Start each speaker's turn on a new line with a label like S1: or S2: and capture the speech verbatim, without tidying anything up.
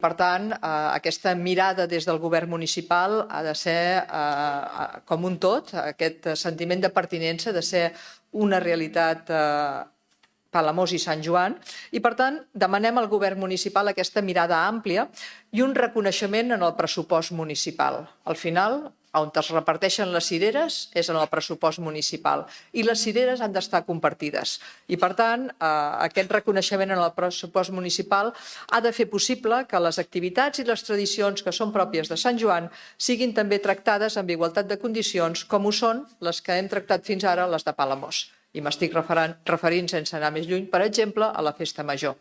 S1: Per tant, aquesta mirada des del govern municipal ha de ser com un tot, aquest sentiment de pertinença, de ser una realitat Palamós i Sant Joan, i per tant demanem al govern municipal aquesta mirada àmplia i un reconeixement en el pressupost municipal. Al final, on es reparteixen les cireres és en el pressupost municipal i les cireres han d'estar compartides. I per tant, aquest reconeixement en el pressupost municipal ha de fer possible que les activitats i les tradicions que són pròpies de Sant Joan siguin també tractades amb igualtat de condicions com ho són les que hem tractat fins ara, les de Palamós. I m'estic referint, sense anar més lluny, per exemple, a la Festa Major.